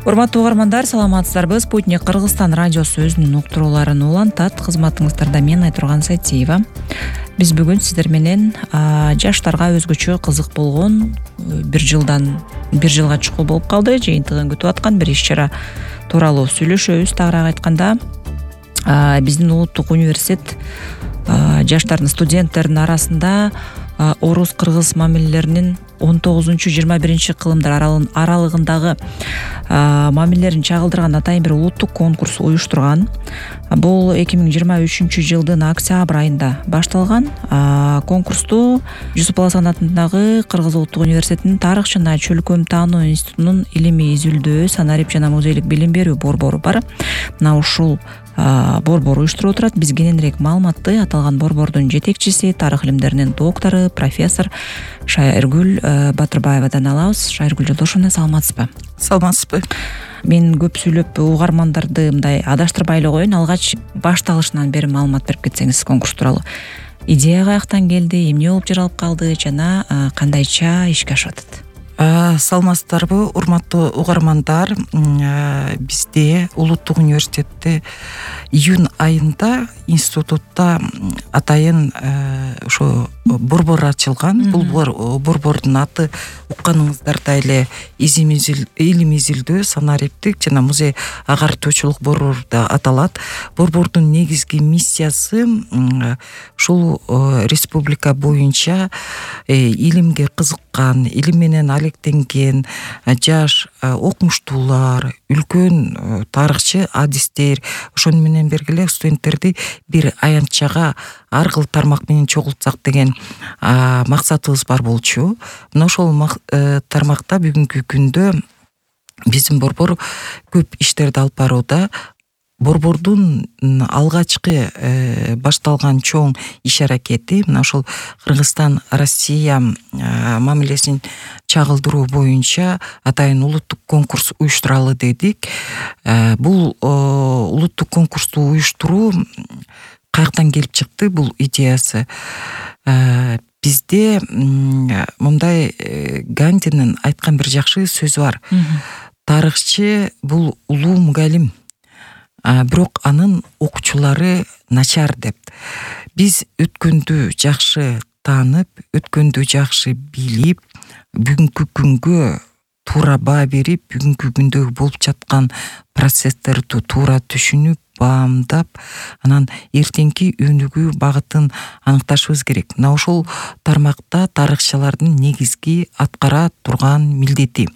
Урматтуу угармандар, саламатсыздарбы? Спутник Кыргызстан радиосу өзүнүн уктурууларын улантат. Кызматыңыздарда мен Айтурган Сайтиева. Биз бүгүн сиздер менен жаштарга өзгөчө кызык болгон бир жылга чукул болуп калды, жыйынтыгын күтүп аткан бир иш-чара тууралуу сүйлөшөбүз. Тагыраак айтканда, биздин улуттук университет жаштардын, студенттердин арасында орус-кыргыз мамилелеринин 19-21 кылымдар аралыгындагы мамилелерин чагылдырган атайын бир улуттук конкурс уюштурган. Бул 2023 жылдын октябрь айында башталган. Конкурсту Жусуп Баласан атындагы Кыргыз улуттук университетинин тарых жана чөлкөм таануу институтунун илимий изилдөө, санарип жана музейлик билим берүү борбору бар. Мына ушул борбор уюштуруп отурат. Биз кененирээк маалыматты аталган борбордун жетекчиси, тарых илимдеринин доктору, профессор Шайыргүл Батырбаевадан алабыз. Шайыргүл Жолдошовна, саламатсызбы? Саламатсызбы. Мен көп сүйлөп угармандарды мындай адаштырбай эле коеюн. Алгач башталышынан бери маалымат берип кетсеңиз конкурс тууралуу. Идея каяктан келди, эмне болуп жаралып калды жана кандайча ишке ашып атат? Саламатсыздарбы, урматтуу угармандар? Бизде улуттук университетте июнь айында институтта атайын ошо борбор ачылган. Бул борбордун аты укканыңыздардай эле илим изилдөө, санариптик жана музей агартуучулук борбору деп аталат. Борбордун негизги миссиясы ушул республика боюнча илимге кызыккан, илим менен алектенген жаш окумуштуулар, үлкөн тарыхчы адистер, ошону менен бергиле студенттерди бир аянтчага ар кыл тармак менен чогултсак деген максатыбыз бар болчу. Мына ошол тармакта бүгүнкү күндө биздин борбор көп иштерди алып барууда. Борбордун алгачкы башталган чоң иш-аракети мына ошол Кыргызстан Россия мамилесин чагылдыруу боюнча атайын улуттук конкурс уюштуралы дедик. Бул улуттук конкурсту уюштуруу каяктан келип чыкты бул идеясы? Бизде мындай Гандинин айткан бир жакшы сөзү бар. Тарыхчы бул улуу мугалим, бирок анын окуучулары начар деп. Биз өткөндү жакшы таанып, өткөндү жакшы билип, бүгүнкү күнгө туура баа берип, бүгүнкү күндө болуп жаткан процесстерди туура түшүнүп, баамдап, анан эртеңки өнүгүү багытын аныкташыбыз керек. Мына ошол тармакта тарыхчылардын негизги аткара турган милдети.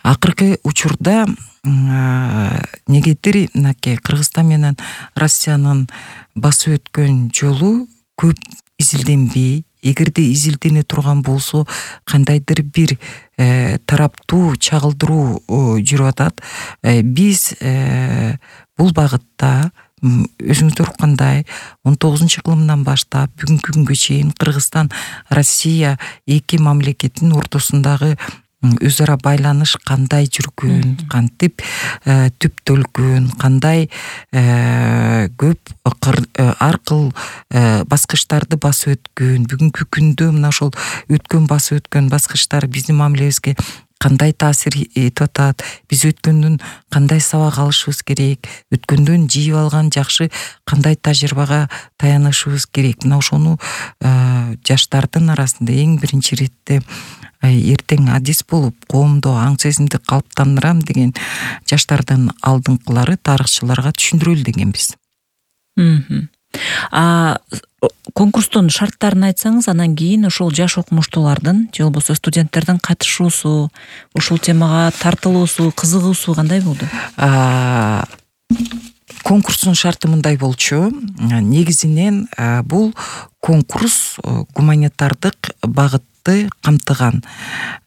Акыркы учурда негедир мынакей Кыргызстан менен Россиянын басып өткөн жолу көп изилденбей, эгерде изилдене турган болсо кандайдыр бир тараптуу чагылдыруу жүрүп атат. Биз бул багытта өзүңүздөр уккандай 19-кылымдан баштап бүгүнкү күнгө чейин Кыргызстан Россия эки мамлекеттин ортосундагы өз ара байланыш кандай жүргөн, кантип түптөлгөн, кандай көп ар кыл баскычтарды басып өткөн, бүгүнкү күндө мына ошол өткөн басып өткөн баскычтар биздин мамилебизге кандай таасир этип атат, биз өткөндөн кандай сабак алышыбыз керек, өткөндөн жыйып алган жакшы кандай тажрыйбага таянышыбыз керек. Мына ошону жаштардын арасында эң биринчи иретте эртең адис болуп, коомдо аң сезимди калыптандырам деген жаштардын алдыңкылары тарыхчыларга түшүндүрөлү дегенбиз. Конкурстун шарттарын айтсаңыз, анан кийин ошол жаш окумуштуулардын же болбосо студенттердин катышуусу, ушул темага тартылуусу, кызыгуусу кандай болду? Конкурстун шарты мындай болчу. Негизинен бул конкурс гуманитардык багытты камтыган.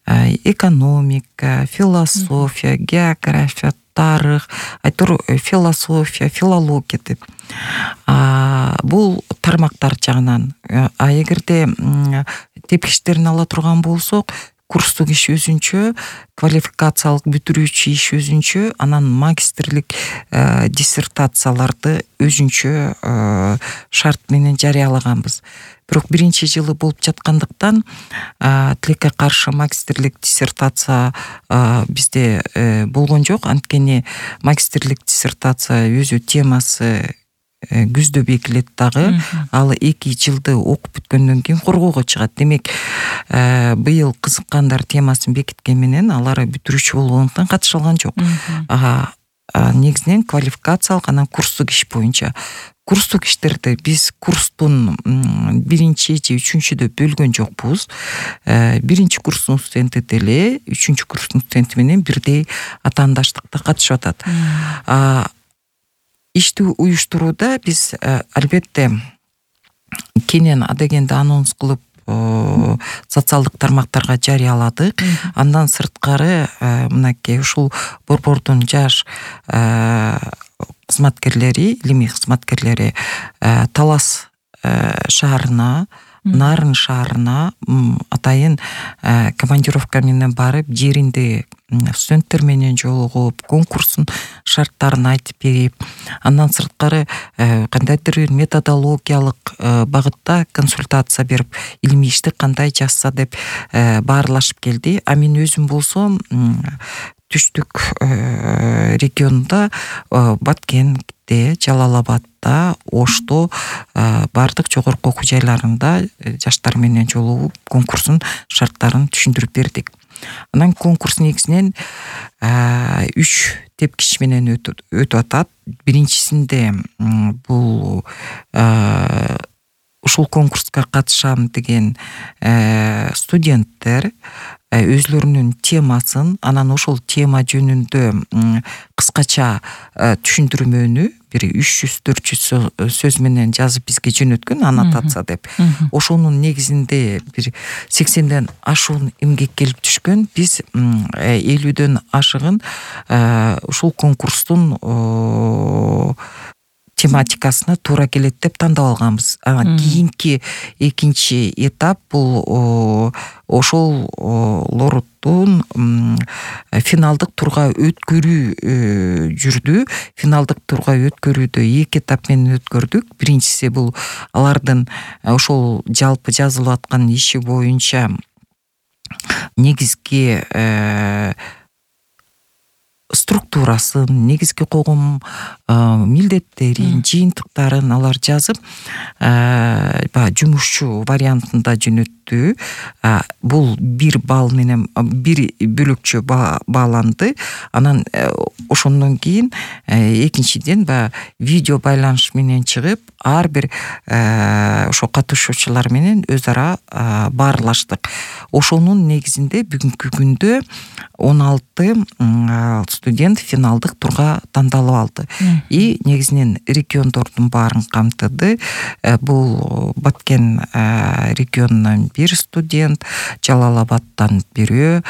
Экономика, философия, география, тарых, философия, филология деп. Бул тармактар жагынан. Эгерде тепкичтерин ала турган болсок, курстук иш өзүнчө, квалификациялык бүтүрүүчү иш өзүнчө, анан магистрлик диссертацияларды өзүнчө шарт менен жарыялаганбыз. Бирок биринчи жылы болуп жаткандыктан тилекке каршы магистрлик диссертация бизде болгон жок. Анткени магистрлик диссертация өзү темасы күздө бекилет дагы. Ал 2 жылды окуп бүткөндөн кийин коргоого чыгат. Демек, быйыл кызыккандар темасын бекиткен менен алар бүтүрүүчү болгондуктан катыша алган жок. Негизинен квалификациялык, анан курстук иш боюнча. Курстук иштерди биз курстун 1-3-3-өдө бөлгөн жокпуз. 1-курстун студенти деле 3-курстун студенти менен бирдей атаандаштыкта катышып атат. Ишти уюштурууда биз албетте кенен адегенди анонс кылып социалдык тармактарга жарыяладык. Андан сырткары мынакей ушул борбордун жаш кызматкерлери, илимий кызматкерлери Талас шаарына, Нарын шаарына атайын командировка менен барып, жеринде студенттер менен жолугуп, конкурстун шарттарын айтып берип, андан сырткары кандайдыр бир методологиялык багытта консультация берип, илимий ишти кандай жазса деп баарлашып келди. Мен өзүм болсом түштүк регионунда, Баткенде, Жалал-Абадда, Ошто бардык жогорку окуу жайларында жаштар менен жолугуп конкурстун шарттарын түшүндүрүп бердик. Анан конкурс негизинен 3 тепкич менен өтүп атат. Биринчисинде бул ушул конкурска катышам деген студенттер өзлөрүнүн темасын, анан ошол тема жөнүндө кыскача түшүндүрмөнү бир 300-400 сөз менен жазып бизге жөнөткөн, аннотация деп. Ошонун негизинде бир 80ден ашуун эмгек келип түшкөн. Биз 50дөн ашыгын ушул конкурстун тематикасына туура келет деп тандап алганбыз. Кийинки экинчи этап бул ошол лордун финалдык турга өткөрүү жүрдү. Финалдык турга өткөрүүдө 2 этап менен өткөрдүк. Биринчиси бул алардын ошол жалпы жазылып аткан иши боюнча негизги структурасын, негизги когум милдеттерин, жыйынтыктарын алар жазып, жумушчу вариантында жөнөттү. Бул 1 балл менен 1 бөлөкчө бааланды. Анан ошондон кийин экинчиден видео байланыш менен чыгып, ар бир ошо катышуучулар менен өз ара баарлаштык. Ошонун негизинде бүгүнкү күндө 16 студент финалдык турга тандалып алды. И негизинен региондордун баарын камтыды. Бул Баткен регионунан 1 студент, Жалал-Абадтан 1,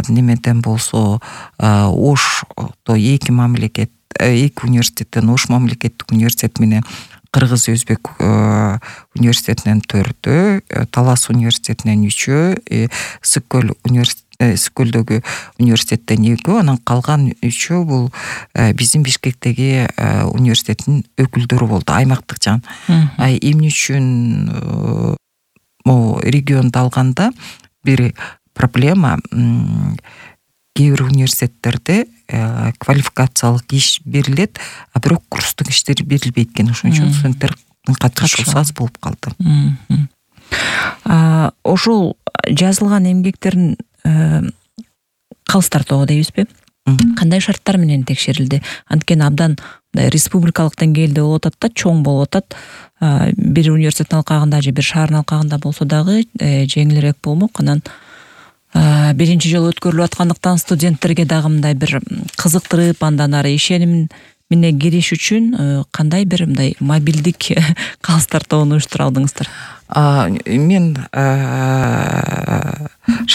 немеден болсо Ошто 2 мамлекет, 2 университеттен Ош мамлекеттик университет менен Кыргыз Өзбек университетинен 4, Талас университетинен 3, Сыкөлдөгү университеттен 2, анан калган 3 бул биздин Бишкектеги университеттин өкүлдөрү болду, аймактык жан. Эмне үчүн регионду алганда бир проблема, кээ бир университеттерде квалификациялык иш берилет, бирок курстук иштер берилбейт экен. Ошон үчүн студенттердин катышуусу аз болуп калды. Ошол жазылган эмгектерин калыс тартуу дейбизби? Кандай шарттар менен текшерилди? Анткени абдан республикалык деңгээлде болуп атат да, чоң болуп атат. Бир университеттин алкагында же бир шаардын алкагында болсо дагы жеңилирээк болмок. Анан биринчи жолу өткөрүлүп аткандыктан студенттерге дагы мындай бир кызыктырып, андан ары ишеним менен кириш үчүн кандай бир мындай мобилдик калыс тартууну уюштура алдыңыздар? Мен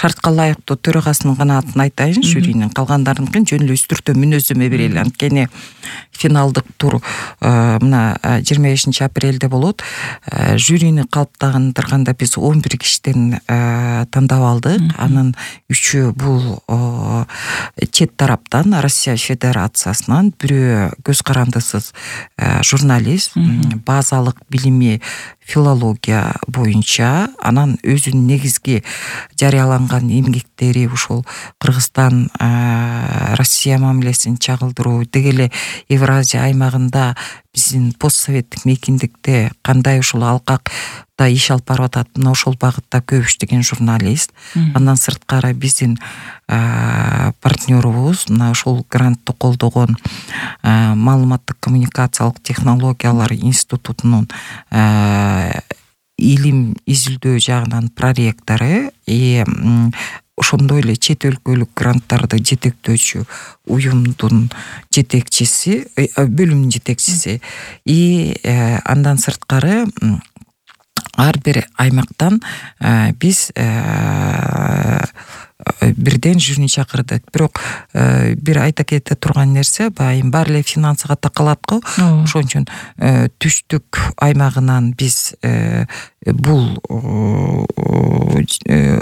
шартка ылайыктуу төрагасынын гана атын айтайын, жюринин калгандарыныкын жөн эле үстүртө мүнөздөмө берели. Анткени финалдык тур мына 25 апрелде болот. Жюрини калыптандырганда биз 11 кишиден тандап алдык. Анын 3-өө бул чет тараптан, Россия Федерациясынан, бирөө көз карандысыз журналист, базалык билими филология боюнча, анан өзүнүн негизги жарыяланган эмгектери ушул Кыргызстан Россия мамилесин чагылдыруу, деги эле Евразия аймагында биздин постсоветтик мейкиндикте кандай ушул алкакта иш алып барып атат, мына ошол багытта көп иштеген журналист. Андан сырткары биздин партнерубуз мына ушул грантты колдогон маалыматтык коммуникациялык технологиялар институтунун илим изилдөө жагынан проректору, ошондой эле чет өлкөлүк гранттарды жетектөөчү уюмдун жетекчиси, бөлүмдүн жетекчиси. Андан сырткары ар бир аймактан биз бирден жюрини чакырдык. Бирок бир айта кете турган нерсе, байым баары эле финансыга такалат го. Ошон үчүн түштүк аймагынан биз бул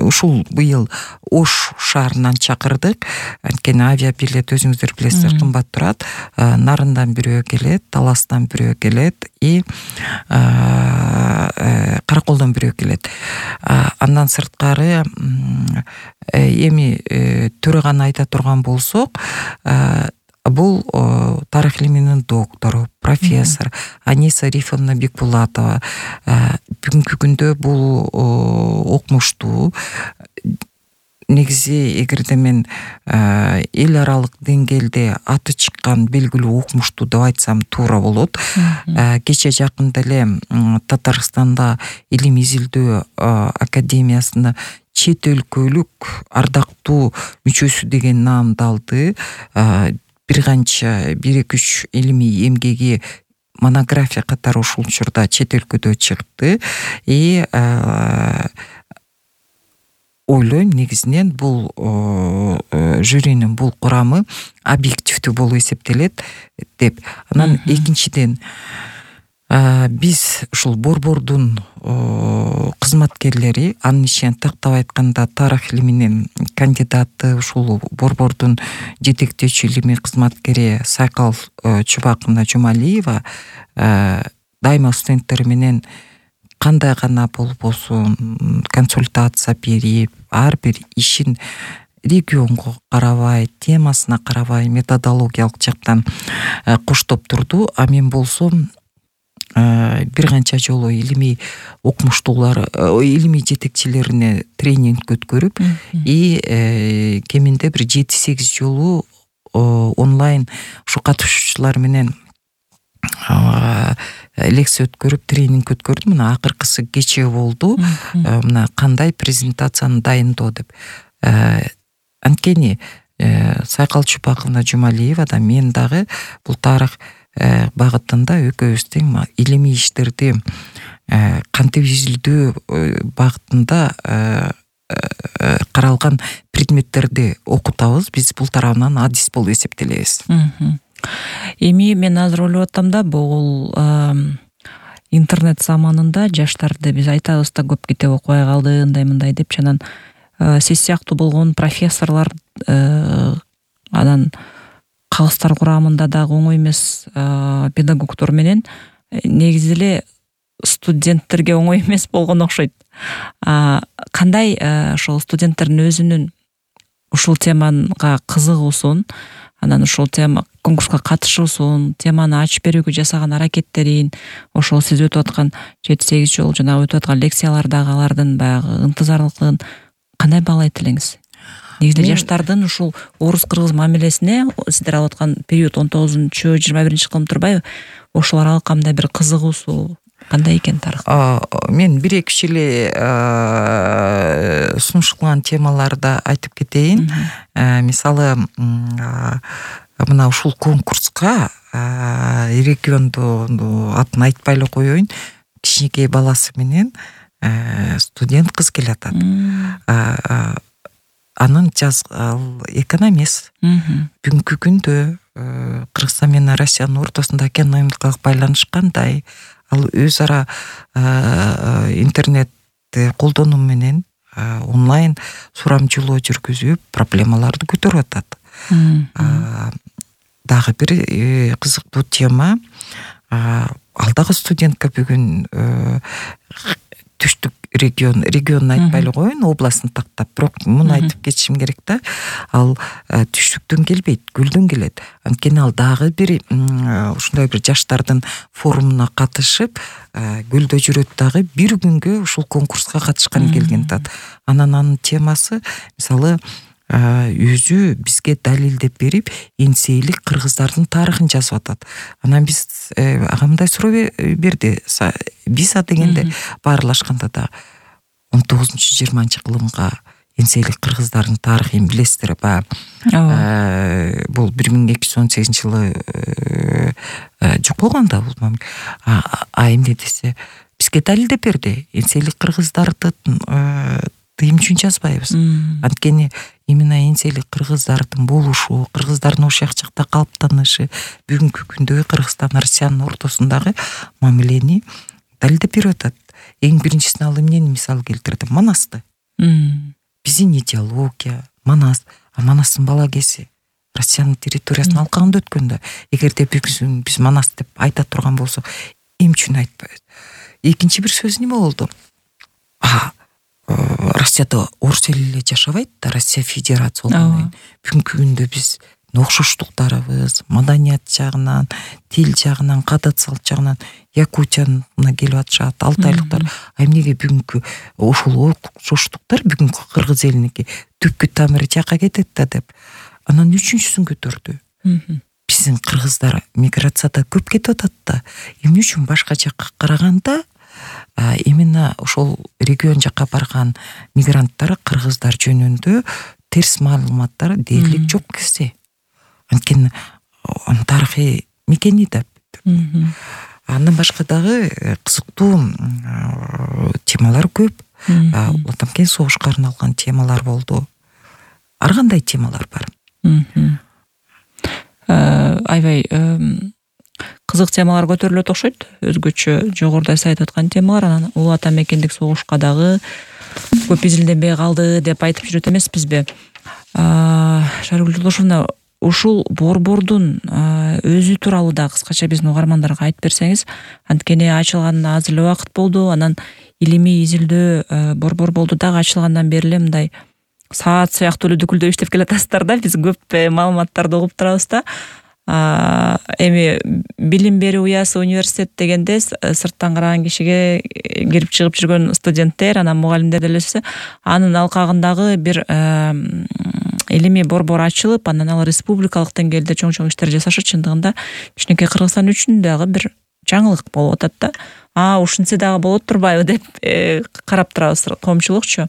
ушул быйыл Ош шаарынан чакырдык. Анткени авиабилет өзүңүздөр билесиздер, кымбат турат. Нарындан бирөө келет, Таластан бирөө келет и Караколдон бирөө келет. Андан сырткары эми төрөганы айта турган болсок, бул тарых илиминин доктору, профессор Аниса Рифовна Бекбулатова. Бүгүнкү күндө бул окумуштуу, негизи эгерде мен эл аралык деңгээлде аты чыккан белгилүү окумуштуу деп айтсам туура болот. Кече жакында эле Татарстанда илим изилдөө академиясына чет өлкөлүк ардактуу мүчөсү деген наамды алды. Бир канча 1-2-3 илимий эмгеги монография катары ушул учурда чет өлкөдө чыкты. Ойлойм, негизинен бул жюринин бул курамы объективдүү болуп эсептелет деп. Анан экинчиден биз ушул борбордун кызматкерлери, анын ичинен тактап айтканда тарых илиминин кандидаты, ушул борбордун жетектөөчү илимий кызматкери Сайкал Чубаковна Жумалиева дайыма студенттери менен кандай гана болбосун консультация берип, ар бир ишин регионго карабай, темасына карабай, методологиялык жактан коштоп турду. А мен болсом бир канча жолу илимий окумуштуулар, илимий жетекчилерине тренинг өткөрүп, кеминде бир 7-8 жолу онлайн ушу катышуучулар менен лекция өткөрүп, тренинг өткөрдүм. Мына акыркысы кечээ болду. Мына кандай презентацияны дайындоо деп. Анткени Сайкал Чубаковна Жумалиева да, мен дагы бул тарых багытында экөөбүз тең илимий иштерди кантип изилдөө багытында каралган предметтерди окутабыз. Биз бул тарабынан адис болуп эсептелебиз. Эми мен азыр ойлоп атам да, бул интернет заманында жаштарды биз айтабыз да, көп китеп окубай калды, ындай-мындай деп, анан сиз сыяктуу болгон профессорлор анан калыстар курамында дагы оңой эмес педагогдор менен негизи эле студенттерге оңой эмес болгон окшойт. Кандай ошол студенттердин өзүнүн ушул темага кызыгуусун, анан ушул тема конкурска катышуусун, теманы ачып берүүгө жасаган аракеттерин, ошол сиз өтүп аткан 7-8 жол жана өтүп аткан лекциялардагы алардын баягы ынтызарлыгын кандай баалайт элеңиз? Негизи жаштардын ушул орус-кыргыз мамилесине сиздер алып аткан период 19-21 кылым турбайбы? Ошол аралык кандай бир кызыгуусу кандай экен тарых? Мен 1-2 эле сунушталган темаларды айтып кетейин. Мисалы, мына ушул конкурска регионду атын айтпай эле коеюн, кичинекей баласы менен студент кыз келатат. анын ал экономист. Бүгүнкү күндө Кыргызстан менен Россиянын ортосунда экономикалык байланыш кандай? Ал өз ара интернетти колдонуу менен онлайн сурамжылоо жүргүзүп проблемаларды көтөрүп атат. Дагы бир кызыктуу тема, ал дагы студентка бүгүн түштүк регионун айтпайлы коеюн, областын тактап, бирок муну айтып кетишим керек да. Ал түштүктөн келбейт, көлдөн келет. Анткени ал дагы бир ушундай бир жаштардын форумуна катышып, көлдө жүрөт дагы бир күнгө ушул конкурска катышкан келген атат. Анын темасы мисалы өзү бизге далилдеп берип, энсейлик кыргыздардын тарыхын жазып атат. Анан биз ага мындай суроо берди. Виза дегенде баарлашканда да 19-20 кылымга энсейлик кыргыздардын тарыхын билесиздер ба? Бул 1218-жылы жок болгон да бул. Эмне десе, бизге далилдеп берди. Энсейлик кыргыздарды тыйым үчүн жазбайбыз. Анткени именно энсейлик кыргыздардын болушу, кыргыздардын ошол жакта калыптанышы бүгүнкү күндөгү Кыргызстан Россиянын ортосундагы мамилени далилдеп берип атат. Эң биринчисин ал эмнени мисал келтирди? Манасты. Биздин идеология, Манас, Манастын балагеси Россиянын территориясын алкагында өткөн да. Эгерде биз Манас деп айта турган болсок, эмне үчүн айтпайбыз? Экинчи бир сөз неме болду? Россияда орус эли эле жашабайт да, Россия Федерация болгондон кийин бүгүнкү күндө биз окшоштуктарыбыз, маданият жагынан, тил жагынан, кадат салт жагынан Якутияна келип атышат, алтайлыктар. Эмнеге бүгүнкү ошол окшоштуктар бүгүнкү кыргыз элиники түпкү тамыры жака кетет да деп. Анан үчүнчүсүн көтөрдү. Биздин кыргыздар миграцияда көп кетип атат да. Эмне үчүн башка жакка караганда именно ошол регион жакка барган мигранттар кыргыздар жөнүндө терс маалыматтар дээрлик жок кезде. Анткени тарыхый мекени деп. Андан башка дагы кызыктуу темалар көп. Отамкен согушка арналган темалар болду. Ар кандай темалар бар. Аябай кызык темалар көтөрүлөт окшойт. Өзгөчө жогоруда айтып аткан темалар. Анан улуу ата мекендик согушка дагы көп изилденбей калды деп айтып жүрөт эмеспизби? Шаргүл Жолдошовна, ушул борбордун өзү тууралуу да кыскача биздин угармандарга айтып берсеңиз. Анткени ачылганына аз эле убакыт болду. Анан илимий изилдөө борбор болду дагы ачылгандан бери эле мындай саат сыяктуу эле дүкүлдөп иштеп келатасыздар да. Биз көп маалыматтарды угуп турабыз да. Эми билим берүү уясы университет дегенде сырттан караган кишиге кирип чыгып жүргөн студенттер, анан мугалимдер делесе, анын алкагындагы бир илимий борбор ачылып, анан ал республикалык деңгээлде чоң иштер жасашы чындыгында кичинекей Кыргызстан үчүн дагы бир жаңылык болуп атат да. Ушунча дагы болот турбайбы деп карап турабыз коомчулукчу.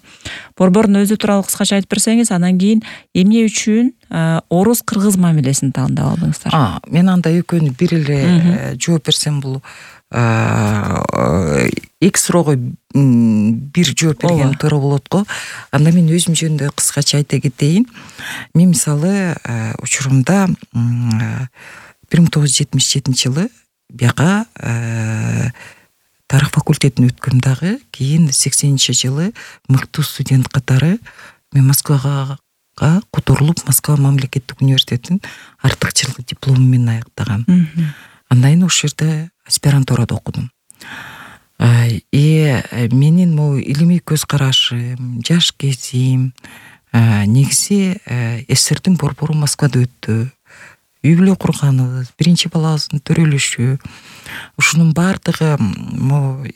Борбордун өзү тууралуу кыскача айтып берсеңиз, анан кийин эмне үчүн орус кыргыз мамилесин тандап алдыңыздар? Мен анда экөөнү бир эле жооп берсем, бул эки суроого бир жооп берген туура болот го. Анда мен өзүм жөнүндө кыскача айта кетейин. Мен мисалы учурумда 1977-жылы бияка тарых факультетин өткөм дагы, кийин 80-жылы мыктуу студент катары мен Москвага которулуп, Москва мамлекеттик университетин артыкчылык диплому менен аяктагам. Андан кийин ошол жерде аспирантурада окудум. Менин могу илимий көз карашым, жаш кезим негизи СССРдин борбору Москвада өттү. Үй бүлө курганыбыз, биринчи балабыздын төрөлүшү, ушунун баардыгы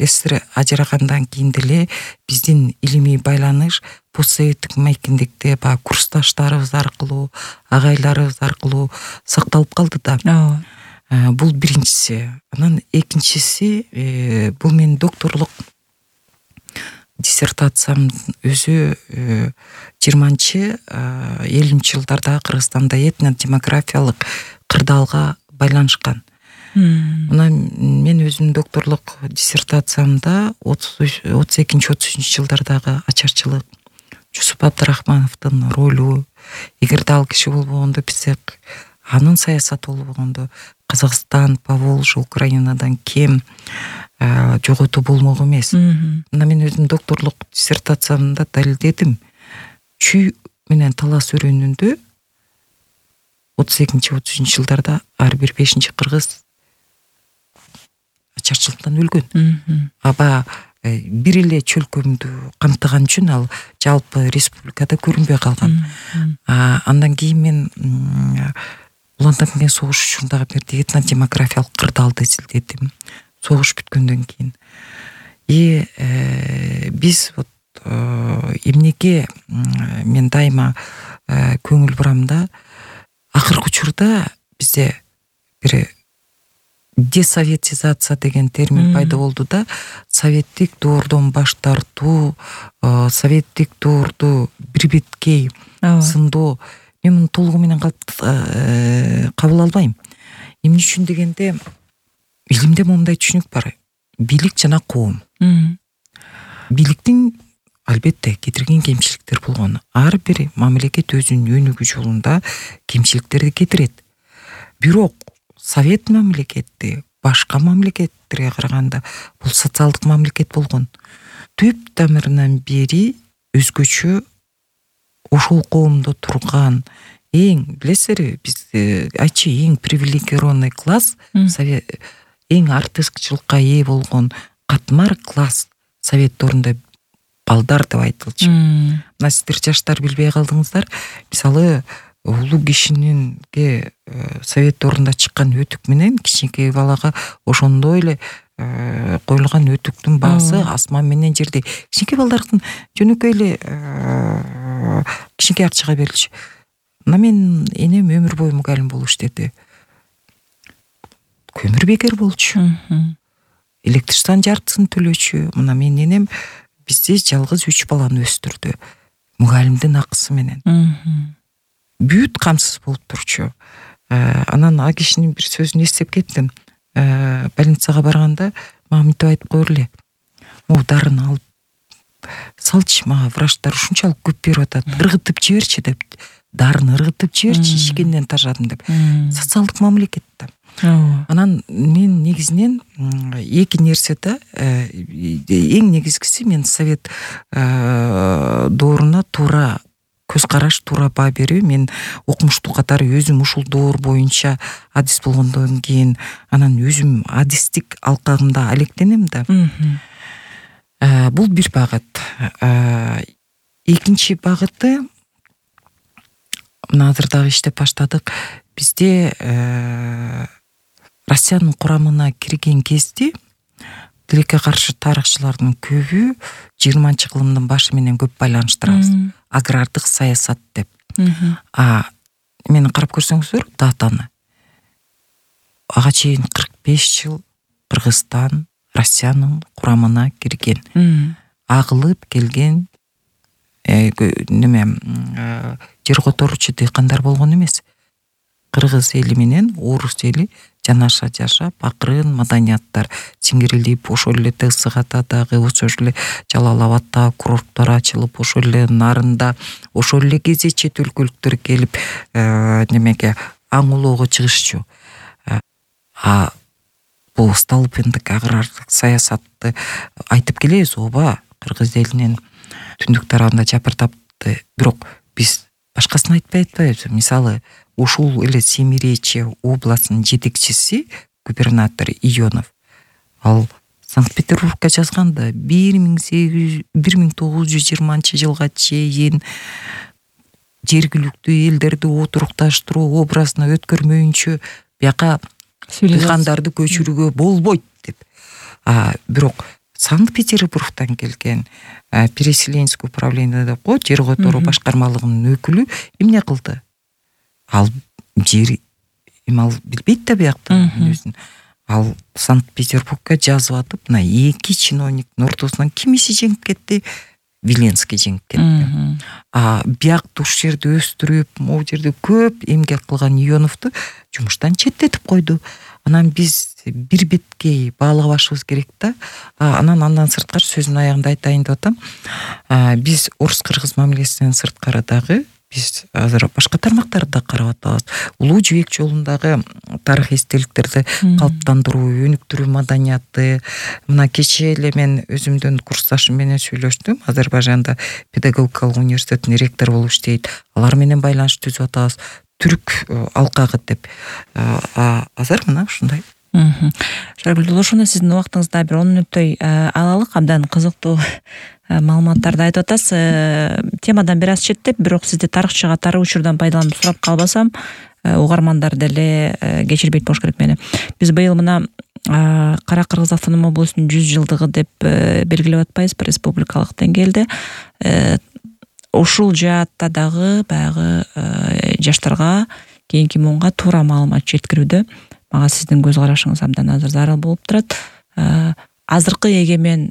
СССР ажырагандан кийин деле биздин илимий байланыш постсоветтик мекендикте курсташтарыбыз аркылуу, агайларыбыз аркылуу сакталып калды да. Бул биринчиси. Анан экинчиси, бул менин докторлук диссертациям өзү 20-50 жылдарда Кыргызстанда этнодемографиялык кырдаалга байланышкан. Мына мен өзүмдүн докторлук диссертациямда 32-33 жылдардагы ачарчылык, Жусуп Абдрахмановдун ролу, эгерде ал киши болбогондо бизде анын саясаты болбогондо Казакстан, Поволжье, Украинадан кем жоготуу болмок эмес. Мына мен өзүм докторлук диссертациямда далилдедим. Чүй менен талас өрөөнүндө 32-33 жылдарда ар бир 5-чи кыргыз ачарчылыктан өлгөн. Аба бир эле чөлкөмдү камтыган үчүн ал жалпы республикада көрүнбөй калган. Андан кийин мен уландан кийин согуш учурунда бир этнодемографиялык кырдаалды изилдедим. Согуш бүткөндөн кийин. Биз вот эмнеге мен дайыма көңүл бурам да, акыркы учурда бизде бир десоветизация деген термин пайда болду да, советтик доордон баш тартуу, советтик доорду бирбеткей сындоо. Мен муну толугу менен кабыл албайм. Эмне үчүн дегенде, илимде моундай түшүнүк бар. Бийлик жана коом. Бийликтин албетте кетирген кемчиликтер болгон. Ар бир мамлекет өзүнүн өнүгүү жолунда кемчиликтерди кетирет. Бирок совет мамлекети башка мамлекеттерге караганда бул социалдык мамлекет болгон. Түп тамырынан бери өзгөчө ошол коомдо турган билесиңер, биз айтчы эң привилегированный класс, эң артыкчылыкка ээ болгон катмар класс совет доорунда балдар деп айтылчу. Мына сиздер жаштар билбей калдыңыздар. Мисалы, улуу кишининге совет доорунда чыккан өтүк менен кичинекей балага ошондой эле коюлган өтүктүн баасы асман менен жердей. Кичинекей балдардын жөнөкөй эле кичинекей акчага берилчү. Мына мен энем өмүр бою мугалим болуп иштеди. Көмүр бекер болчу. Электричествонун жартысын төлөчү. Мына менин энем бизде жалгыз 3 баланы өстүрдү. Мугалимдин акысы менен. Бүт камсыз болуп турчу. Анан а кишинин бир сөзүн эстеп кеттим. Больницага барганда мага мынтип айтып койгур эле. Дарын алып салчы, мага врачтар ушунчалык көп берип атат. Ыргытып жиберчи деп. Дарыны ыргытып жиберчи, ишкенден тажадым деп. Социалдык мамлекет да. Анан мен негизинен эки нерсе да, эң негизгиси мен совет дооруна туура көз караш, туура баа берүү. Мен окумуштуу катары өзүм ушул доор боюнча адис болгондон кийин анан өзүм адистик алкагында алектенем да. Бул бир багыт. Экинчи багыты, мына азыр дагы иштеп баштадык. Бизде Россиянын курамына кирген кезде тилекке каршы тарыхчылардын көбү 20-кылымдын башы менен көп байланыштырабыз. Агрардык саясат деп. Мени карап көрсөңүздөр датаны. Ага чейин 45 жыл Кыргызстан Россиянын курамына кирген. Агылып келген жер которуучу дыйкандар болгон эмес. Кыргыз эли менен орус эли жанаша жашап, акырын маданияттар сиңирилип, ошол эле Тысыгатадагы, ошол эле Жалал Абадтагы курорттор ачылып, ошол эле Нарында, ошол эле кезде чет өлкөлүктөр келип немеге аңулоого чыгышчу. Бул Столыпиндик агрардык саясатты айтып келебиз, ооба, кыргыз элинин түндүк тарабында жапыртапты. Бирок биз башкасын айтпай атпайбыз. Мисалы, ушул эле Семиречье областынын жетекчиси губернатор Ионов. Ал Санкт-Петербургка жазганда 1920 жылга чейин жергиликтүү элдерди отурукташтыруу образына өткөрмөйүнчө бияка дыйкандарды көчүрүүгө болбойт деп. Бирок Санкт-Петербургтан келген переселенческий управление деп кой, жер которуу башкармалыгынын өкүлү эмне кылды? Ал жер ал билбейт да бияктан өзүн. Ал Санкт-Петербургка жазып атып, мына эки чиновниктин ортосунан кимиси жеңип кетти? Виленский жеңип кетти. Биякты уш жерде өстүрүп, могу жерде көп эмгек кылган Ионовду жумуштан четтетип койду. Анан биз бир беткей баалабашыбыз керек да. Андан сырткары сөзүмдүн аягында айтайын деп атам. Биз орус-кыргыз мамилесинен сырткары дагы биз азыр башка тармактарды да карап атабыз. Улуу жибек жолундагы тарых эстеликтерди калыптандыруу, өнүктүрүү маданияты. Мына кечээ эле мен өзүмдүн курсташым менен сүйлөштүм. Азербайжанда педагогикалык университеттин ректору болуп иштейт. Алар менен байланыш түзүп атабыз. Түрк алкагы деп. Азыр мына ушундай. Шаргүл, ошондо сиздин убактыңызда бир 10 мүнөттөй алалык, абдан кызыктуу маалыматтарды айтып атасыз. Темадан бир аз четтеп, бирок сизди тарыхчы катары учурдан пайдаланып сурап калбасам, угармандар деле кечирбейт болуш керек мени. Биз быйыл мына Кара Кыргыз автономия облусунун 100 жылдыгы деп белгилеп атпайбызбы республикалык деңгээлде. Ушул жаатта дагы баягы жаштарга, кийинки муунга туура маалымат жеткирүүдө мага сиздин көз карашыңыз абдан азыр зарыл болуп турат. Азыркы эгемен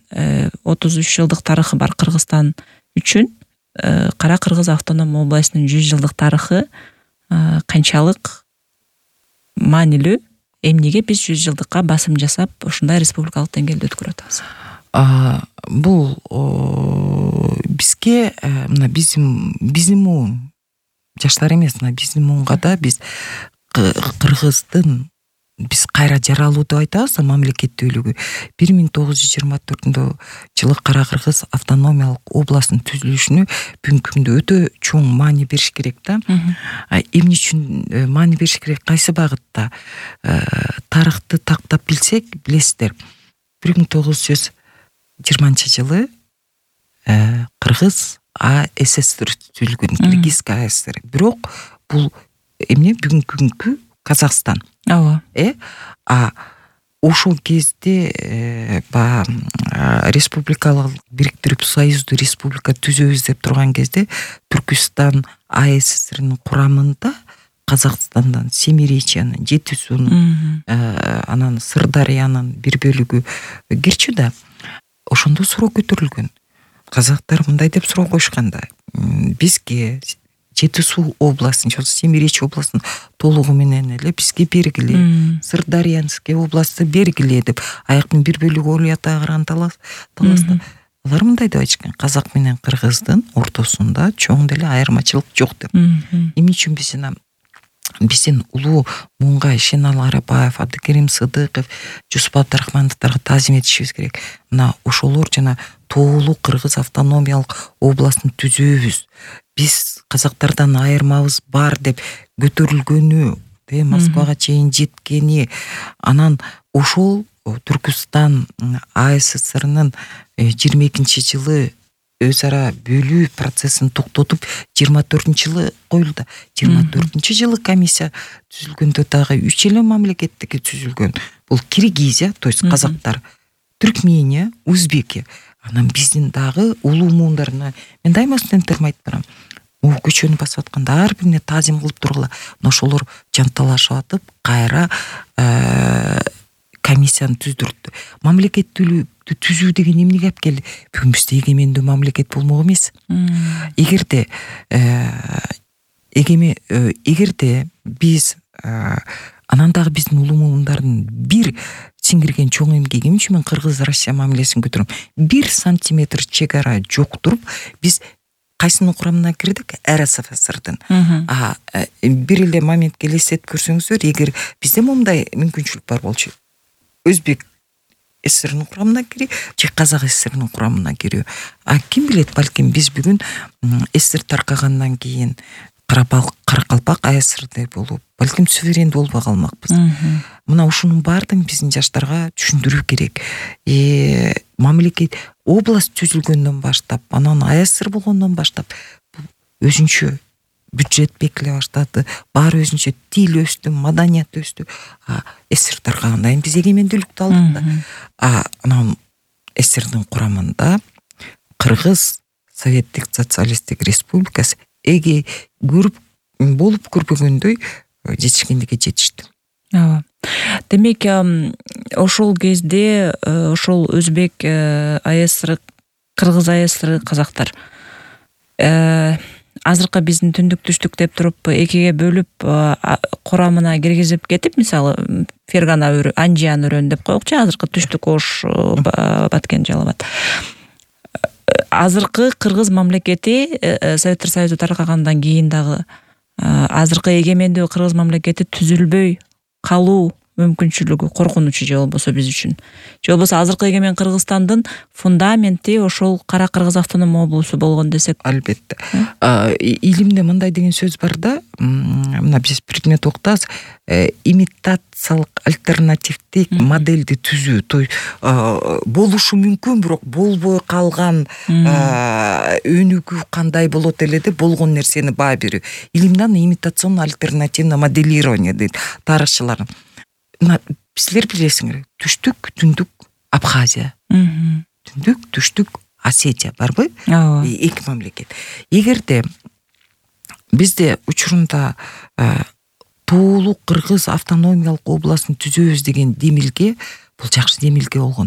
33 жылдык тарыхы бар Кыргызстан үчүн Кара Кыргыз автономия областынын 100 жылдык тарыхы канчалык маанилүү? Эмнеге биз 100 жылдыкка басым жасап ушундай республикалык деңгээлде өткөрүп атабыз? Бул бизге мына биздин муун жаштар эмес, мына биздин муунга да биз Кыргыздын биз кайра жаралуу деп айтабыз, мамлекеттүүлүгү 1924 жылы Кара Кыргыз автономиялык областынын түзүлүшүнө бүгүнкү күндө өтө чоң маани бериш керек да. Эмне үчүн маани бериш керек? Кайсы багытта? Тарыхты тактап билсек, билесиздер, 1920 жылы Кыргыз АССР түзүлгөн, Кыргызская АССР. Бирок бул эмне? Бүгүнкү күnkү Казакстан. Ошол кезде республикалык бириктирип союздуу республика түзөбүз деп турган кезде Түркүстан АССРнын курамында Казакстандан Семиречьянын, Жети суунун, анан Сырдарыянын бир бөлүгү кирчү да. Ошондо суроо көтөрүлгөн. Казактар мындай деп суроо коюшкан да: бизге Жети суу областын, Семиречь областын толугу менен эле бизге бергиле, Сырдарыянский областты бергиле деп аяктын бир бөлүгү ойлой атаган таласта. Алар мындай деп айтышкан: казак менен кыргыздын ортосунда чоң деле айырмачылык жок деп. Эмне үчүн биздин улуу муунга Шенал Арапаев, Абдыкерим Сыдыков, Жусуп Абдрахмановторго таазим этишибиз керек. Мына ошолор жана тоолуу Кыргыз автономиялык областын түзөбүз, биз казактардан айырмабыз бар деп көтөрүлгөнү, Москвага чейин жеткени, анан ошол Түркүстан АССРнын 22-жылы өз ара бөлүү процессин токтотуп 24-жылы коюлду. 24-жылы комиссия түзүлгөндө дагы 3 эле мамлекеттики түзүлгөн. Бул Киргизия, то есть казактар, Түркмения, Узбекия. Анан биздин дагы улуу муундарына мен дайыма студенттериме айтып барам: көчөнү басып атканда ар бирине таазим кылып тургула. Ошолор жанталашып атып кайра комиссияны түздүрдү. Мамлекеттүүлүктү түзүү деген эмнеге алып келди? Бүгүн бизде эгемендүү мамлекет болмок эмес. Эгерде биз анан дагы биздин улуу муундардын бир сиңирген чоң эмгеги, эмне үчүн мен Кыргыз Россия мамилесин көтөрөм? 1 сантиметр чек ара жоктуруп биз кайсынын курамына кирдик? РСФСРдын. Бир эле моментке элестетип көрсөңүздөр, эгер бизде момундай мүмкүнчүлүк бар болчу, Өзбек ССРнын курамына кирүү же Казак ССРнын курамына кирүү. Ким билет, балким биз бүгүн ССР таркагандан кийин Каракалпак АССРде болуп, балким суверендүү болбой калмакпыз. Мына ушунун баардыгын биздин жаштарга түшүндүрүү керек. Мамлекет область түзүлгөндөн баштап, анан АССР болгондон баштап өзүнчө бюджет бекиле баштады, баары өзүнчө тил өстү, маданият өстү. ССР таркагандан кийин биз эгемендүүлүктү алдык да. Анан ССРдин курамында Кыргыз Советтик Социалисттик Республикасы көрүп болуп көрбөгөндөй жетишкендикке жетишти. Демек, ошол кезде ошол Өзбек АССР, Кыргыз АССР казактар азыркы биздин түндүк түштүк деп туруп экиге бөлүп курамына киргизип кетип, мисалы Фергана Анжиан өрөөнү деп коелучу, азыркы түштүк Ош, Баткен, Жалал Абад. Азыркы кыргыз мамлекети Советтер Союзу таркагандан кийин дагы азыркы эгемендүү кыргыз мамлекети түзүлбөй калуу мүмкүнчүлүгү, коркунучу же болбосо биз үчүн. Же болбосо азыркы эгемен Кыргызстандын фундаменти ошол Кара Кыргыз автоном облусу болгон десек. Албетте. Илимде мындай деген сөз бар да, мына биз предмет окутабыз, имитациялык альтернативдик модельди түзүү. То болушу мүмкүн, бирок болбой калган өнүгүү кандай болот эле деп болгон нерсени баа берүү. Илимде имитационно альтернативное моделирование дейт тарыхчылар. Силер билесиңер, түштүк, түндүк Абхазия, түндүк, түштүк Осетия барбы? Эки мамлекет. Эгерде бизде учурунда тоолук кыргыз автономиялык областын түзөбүз деген демилге, бул жакшы демилге болгон.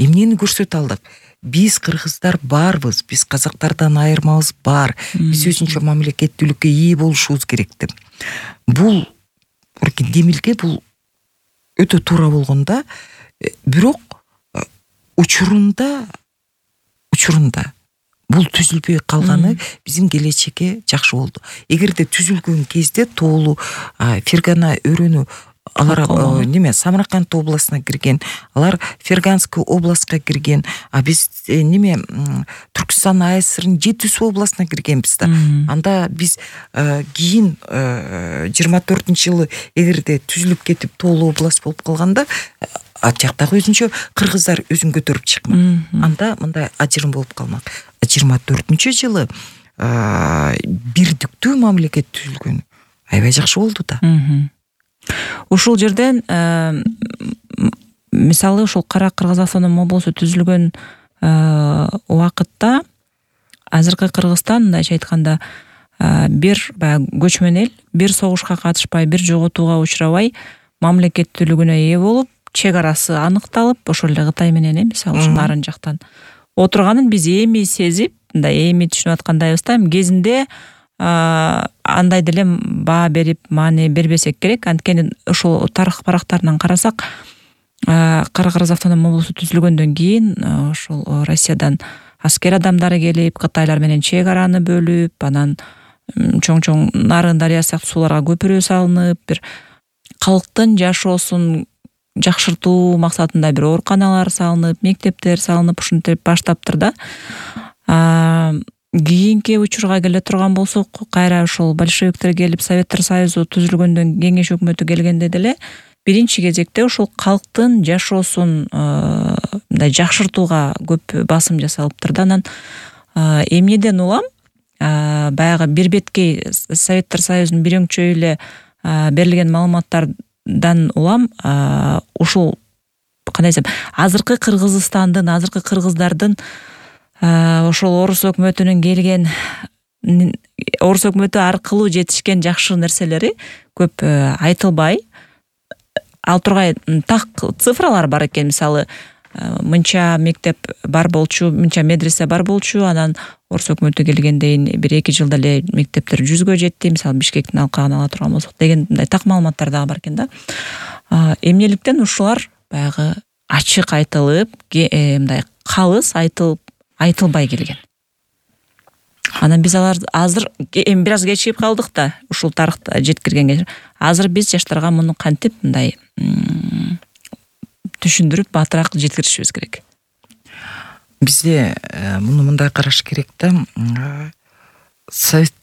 Эмнени көрсөтө алдык? Биз кыргыздар барбыз, биз казактардан айырмабыз бар. Биз өзүнчө мамлекеттүүлүккө ээ болушубуз керек деп. Бул демилге бул өтө туура болгондо, бирок учурунда бул түзүлбөй калганы биздин келечекке жакшы болду. Эгерде түзүлгөн кезде тоолуу Фергана өрөөнү алар Самарканд областына кирген, алар Ферганский областка кирген, биз Түркстан АСРнын Жетису областына киргенбиз да. Анда биз кийин 24-жылы эгерде түзүлүп кетип тоолуу област болуп калганда, ал жактагы өзүнчө кыргыздар өзүн көтөрүп чыкмак. Анда мындай ажырым болуп калмак. 24-жылы бирдиктүү мамлекет түзүлгөн. Аябай жакшы болду да. Ушул жерден мисалы ушул Кара Кыргыз автоном облусу түзүлгөн убакытта азыркы Кыргызстан, мындайча айтканда, бир көчмөн эл, бир согушка катышпай, бир жоготууга учурабай мамлекеттүүлүгүнө ээ болуп, чек арасы аныкталып, ошол эле Кытай менен мисалы ушул нарын жактан отурганын биз эми сезип, мындай эми түшүнүп аткандайбыз да. Кезинде андай деле баа берип, маани бербесек керек. Анткени ошол тарых барактарынан карасак, Кара Кыргыз автоном облусу түзүлгөндөн кийин ошол Россиядан аскер адамдары келип, Кытайлар менен чек араны бөлүп, анан чоң-чоң Нарын дарыя сыяктуу сууларга көпүрө салынып, бир калктын жашоосун жакшыртуу максатында бир ооруканалар салынып, мектептер салынып, ушинтип баштаптыр да. Кийинки учурга келе турган болсок, кайра ошол большевиктер келип, Советтер Союзу түзүлгөндөн кеңеш өкмөтү келгенде деле биринчи кезекте ошол калктын жашоосун мындай жакшыртууга көп басым жасалыптыр да. Анан эмнеден улам, баягы бир беткей Советтер Союзунун бир өңчөй эле берилген маалыматтардан улам ушул кандай десем, азыркы Кыргызстандын, азыркы кыргыздардын ошол орус өкмөтүнүн келген, орус өкмөтү аркылуу жетишкен жакшы нерселери көп айтылбай, ал тургай так цифралар бар экен. Мисалы, мынча мектеп бар болчу, мынча медресе бар болчу, анан орус өкмөтү келгенден 1-2 жылда эле мектептер 100гө жетти, мисалы Бишкектин алкагын ала турган болсок деген мындай так маалыматтар дагы бар экен да. Эмнеликтен ушулар баягы ачык айтылып, мындай калыс айтылбай келген. Анан биз алар азыр бир аз кечигип калдык да, ушул тарыхта жеткиргенге. Азыр биз жаштарга муну кантип мындай түшүндүрүп батыраак жеткиришибиз керек. Бизде муну мындай караш керек да. Совет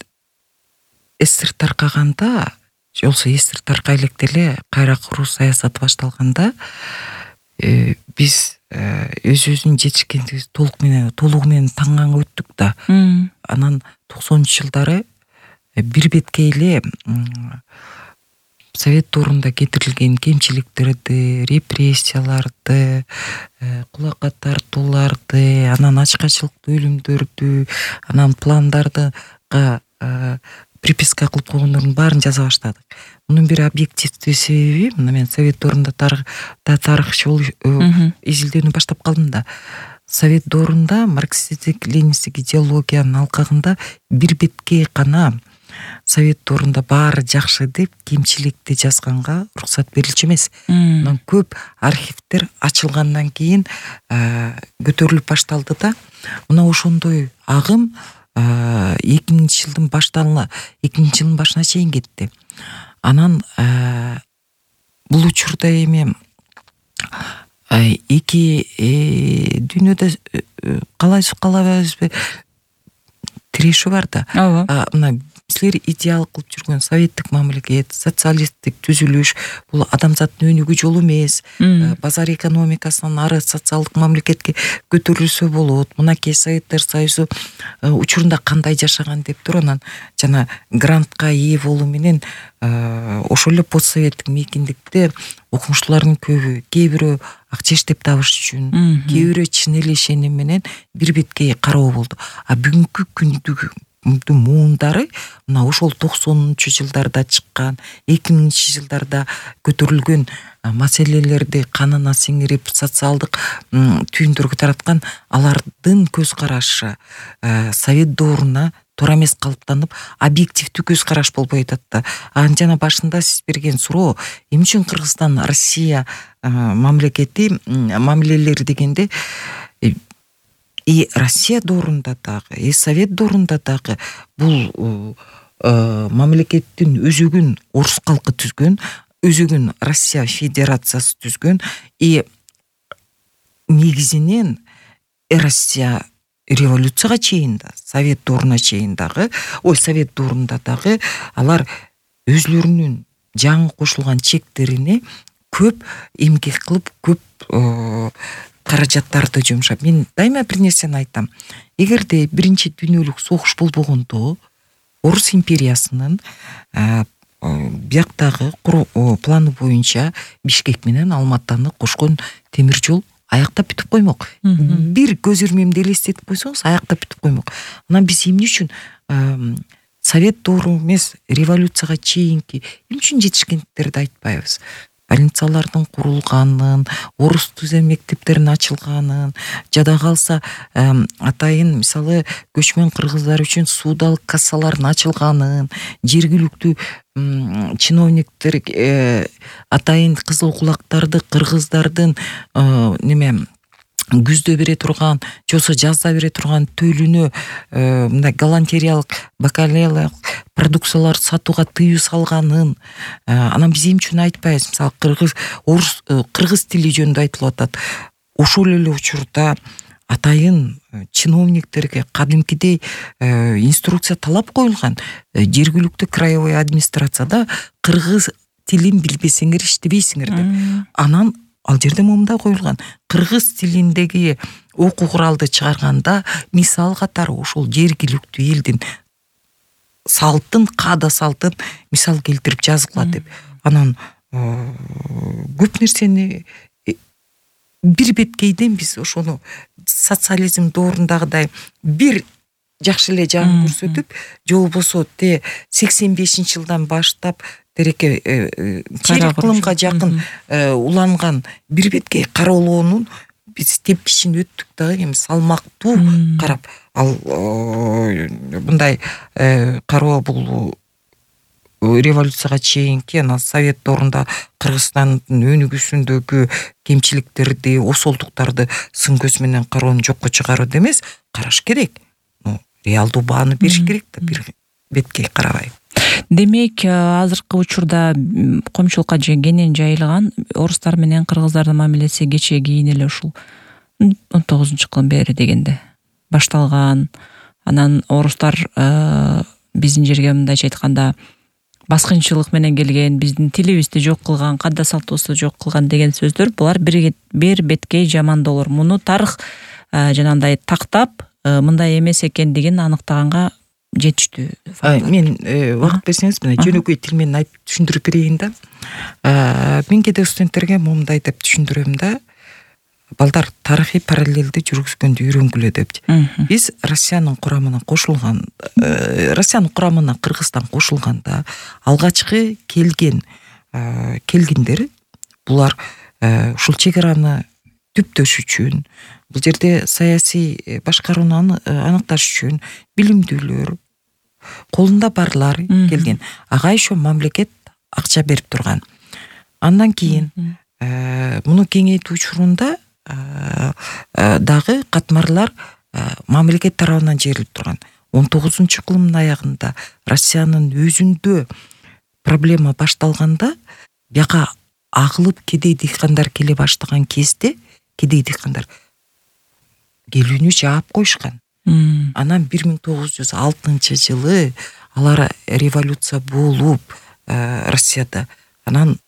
СССР таркаганда, же болбосо СССР таркай электе эле кайра куруу саясаты башталганда, биз өзүбүздүн жетишкендигибиз толугу менен таңган өттүк да. Анан 90-жылдары бир беткей эле Совет орунда кетирилген кемчиликтерди, репрессияларды, кулакка тартууларды, анан ачкачылыктуу өлүмдөрдү, анан пландарды приписка кылып койгондордун баарын жаза баштадык. Мунун бир объективдүү себеби, мына мен Совет орунда тарыхчы болуп изилдөөнү баштап калдым да. совет доорунда марксисттик ленинисттик идеологиянын алкагында бир бетке гана совет доорунда баары жакшы деп кемчиликти жазганга уруксат берилчү эмес. Анан көп архивдер ачылгандан кийин көтөрүлүп башталды да, мына ошондой агым 2000-жылдын башына чейин кетти. Анан бул учурда эми эки дүйнөдө калайбызбы тирешүү бар да. Мына силер идеал кылып жүргөн советтик мамлекет, социалисттик түзүлүш бул адамзаттын өнүгүү жолу эмес. Базар экономикасынан ары социалдык мамлекетке көтөрүлсө болот. Мынакей Советтер Союзу учурунда кандай жашаган деп туруп, анан жана грантка ээ болуу менен ошол эле постсоветтик мейкиндикте окумуштуулардын көбү, кээ бирөө акча иштеп табыш үчүн, кээ бирөө чын эле ишеним менен бир бетке кароо болду. Бүгүнкү күндү муундары мына ошол 90-жылдарда чыккан, 2000-жылдарда көтөрүлгөн маселелерди канына сиңирип социалдык түйүндөргө тараткан алардын көз карашы совет дооруна туура эмес калыптанып, объективдүү көз караш болбой атат да. Жана башында сиз берген суроо, эмне үчүн Кыргызстан Россия мамлекети мамилелери дегенде Россия доорунда дагы, Совет доорунда дагы бул мамлекеттин өзөгүн орус калкы түзгөн, өзөгүн Россия Федерациясы түзгөн, негизинен Россия революцияга чейин да, Совет дооруна чейин дагы, Совет доорунда дагы алар өзлөрүнүн жаңы кошулган чектерине көп эмгек кылып, көп каражаттарды жумшап. Мен дайыма бир нерсени айтам. Эгерде биринчи дүйнөлүк согуш болбогондо Орус империясынын бияктагы планы боюнча Бишкек менен Алматаны кошкон темир жол аяктап бүтүп коймок. Бир көз ирмемди элестетип койсоңуз, аяктап бүтүп коймок. Анан биз эмне үчүн Совет доору эмес, революцияга чейинки эмне үчүн жетишкендиктерди айтпайбыз? Больницалардын курулганын, орус түзем мектептеринин ачылганын, жада калса атайын мисалы көчмөн кыргыздар үчүн суудалык кассалардын ачылганын, жергиликтүү чиновниктер атайын кызыл кулактарды кыргыздардын күздө бере турган, жосо жазда бере турган төлүнө мындай галантериялык, бакалеялык продукциялар сатууга тыюу салганын, анан биз эмне үчүн айтпайбыз? Мисалы кыргыз тили жөнүндө айтылып атат. Ошол эле учурда атайын чиновниктерге кадимкидей инструкция талап коюлган. Жергиликтүү краевой администрацияда кыргыз тилин билбесеңер иштебейсиңер деп. Анан ал жерде момундай коюлган: кыргыз тилиндеги окуу куралды чыгарганда мисал катары ошол жергиликтүү элдин салтын, каада салтын мисал келтирип жазгыла деп. Анан көп нерсени бир беткейден биз ошону социализм доорундагыдай бир жакшы эле жагын көрсөтүп, же болбосо 85-жылдан баштап тереке чейрек кылымга жакын уланган бир бетке кароолоонун биз тепкичин өттүк дагы, эми салмактуу карап, ал мындай кароо бул революцияга чейинки анан Совет доорунда Кыргызстандын өнүгүүсүндөгү кемчиликтерди, осолдуктарды сын көз менен кароону жокко чыгаруу эмес, караш керек. Реалдуу бааны бериш керек да, бир бетке карабай. Демек, азыркы учурда коомчулукка кенен жайылган орустар менен кыргыздардын мамилеси кечээ кийин эле ушул 19-жылдан бери дегенде башталган. Анан орустар биздин жерге мындайча айтканда баскынчылык менен келген, биздин тилибизди жок кылган, каада салтыбызды жок кылган деген сөздөр булар бир беткей жамандоолор. Муну тарых жанагындай тактап мындай эмес экендигин аныктаганга жетиштүү. Мен убакыт берсеңиз, мына жөнөкөй тил менен айтып түшүндүрүп берейин да. Мен кээде студенттерге момундай деп түшүндүрөм да. Балдар тарыхый параллелди жүргүзгөндү үйрөнгүлө деп. Биз Россиянын курамына кошулган, Россиянын курамына Кыргызстан кошулганда алгачкы келгендер булар ушул чек араны түптөш үчүн, бул жерде саясий башкарууну аныкташ үчүн билимдүүлөр, колунда барлар келген. Ага еще мамлекет акча берип турган. Андан кийин муну кеңейтүү учурунда дагы катмарлар мамлекет тарабынан жерилип турган. 19-кылымдын аягында Россиянын өзүндө проблема башталганда, бияка агылып кедей дыйкандар келе баштаган кезде кедей дыйкандар келүүнү жаап коюшкан. Анан 1906-жылы алар революция болуп Россияда, анан